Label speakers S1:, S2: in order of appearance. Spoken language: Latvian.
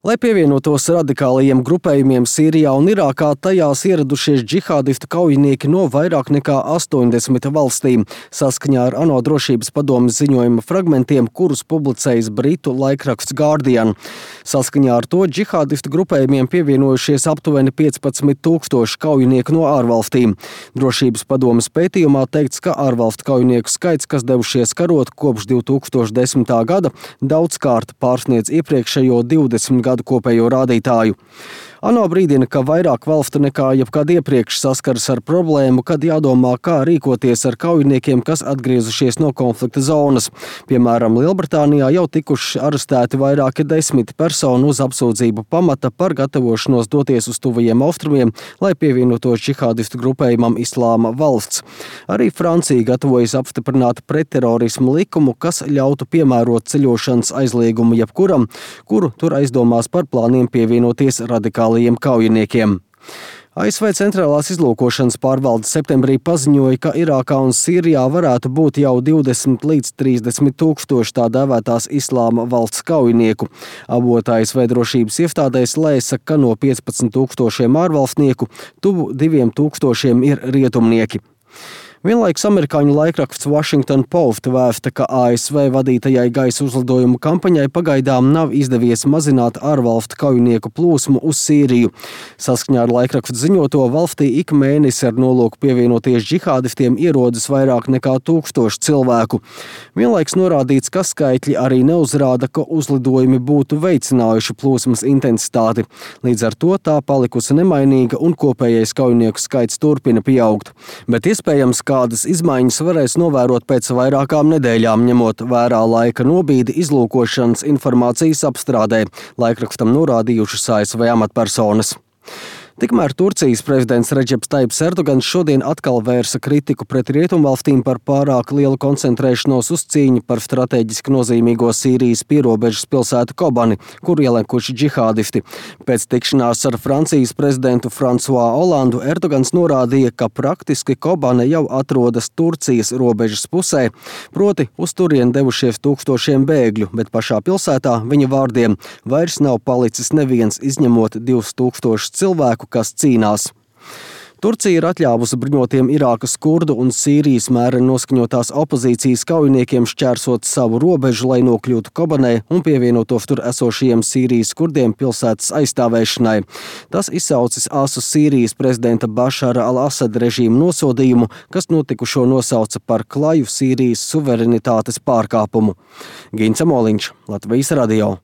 S1: Lai pievienotos radikālajiem grupējumiem Sīrijā un Irākā, tajās ieradušies džihādistu kaujinieki no vairāk nekā 80 valstīm, saskaņā ar ANO drošības padomes ziņojuma fragmentiem, kurus publicējis britu laikraksts Guardian. Saskaņā ar to džihādistu grupējumiem pievienojušies aptuveni 15,000 kaujinieku no ārvalstīm. Drošības padomes pētījumā teikts, ka ārvalstu kaujinieku skaits, kas devušies karot kopš 2010. gada, daudzkārt pārsniedz iepriekšējo 20 gadu kopējo rādītāju. ANO brīdina, ka vairāk valstu nekā jebkad iepriekš saskaras ar problēmu, kad jādomā, kā rīkoties ar kaujiniekiem, kas atgriezušies no konflikta zonas. Piemēram, Lielbritānijā jau tikuši arestēti vairāki 10 personu uz apsūdzību pamata par gatavošanos doties uz tuvajiem austrumiem, lai pievienotos džihādistu grupējumam Islāma valsts. Arī Francija gatavojas apstiprināt pretterorismu likumu, kas ļautu piemērot ceļošanas aizliegumu jebkuram, kuru tur aizdomās par plāniem pievienoties radikālajiem kaujiniekiem. ASV centrālās izlūkošanas pārvalde septembrī paziņoja, ka Irākā un Sīrijā varētu būt jau 20 līdz 30 tūkstoši tā dēvētās Islāma valsts kaujinieku. Avota ASV drošības iestādēs lēsa, ka no 15 tūkstošiem ārvalstnieku tuvu 2 tūkstošiem ir rietumnieki. Vienlaikus amerikāņu laikraksts Washington Post vēsta, ka ASV vadītajai gaisa uzlidojumu kampaņai pagaidām nav izdevies mazināt ārvalstu kaujinieku plūsmu uz Sīriju. Saskaņā ar laikrakstu ziņoto, valstī ik mēnesi ar nolūku pievienoties džihādistiem ierodas vairāk nekā 1000 cilvēku. Vienlaikus norādīts, ka skaitļi arī neuzrāda, ka uzlidojumi būtu veicinājuši plūsmas intensitāti. Līdz ar to tā palikusi nemainīga un kopējais kaujinieku skaits turpina pieaugt. Bet iespējams, kādas izmaiņas varēs novērot pēc vairākām nedēļām, ņemot vērā laika nobīdi izlūkošanas informācijas apstrādē, laikrakstam norādījušas ASV amatpersonas. Tikmēr Turcijas prezidents Redžeps Taips Erdogans šodien atkal vērsa kritiku pret rietumvalstīm par pārāk lielu koncentrēšanos uz cīņu par strateģiski nozīmīgo Sīrijas pierobežas pilsētu Kobani, kur ielekuši džihādisti. Pēc tikšanās ar Francijas prezidentu François Hollandu Erdogans norādīja, ka praktiski Kobane jau atrodas Turcijas robežas pusē, proti uz turien devušies tūkstošiem bēgļu, bet pašā pilsētā, viņa vārdiem, vairs nav palicis neviens izņemot 2000 cilvēku, kas cīnās. Turcija ir atļāvusi bruņotiem Irākas kurdu un Sīrijas mēreni noskaņotās opozīcijas kaujiniekiem šķērsot savu robežu, lai nokļūtu Kobanē un pievienotos tur esošajiem Sīrijas kurdiem pilsētas aizstāvēšanai. Tas izsaucis asu Sīrijas prezidenta Bašara al-Asada režīmu nosodījumu, kas notikušo nosauca par klaju Sīrijas suverenitātes pārkāpumu. Gints Amoliņš, Latvijas radio.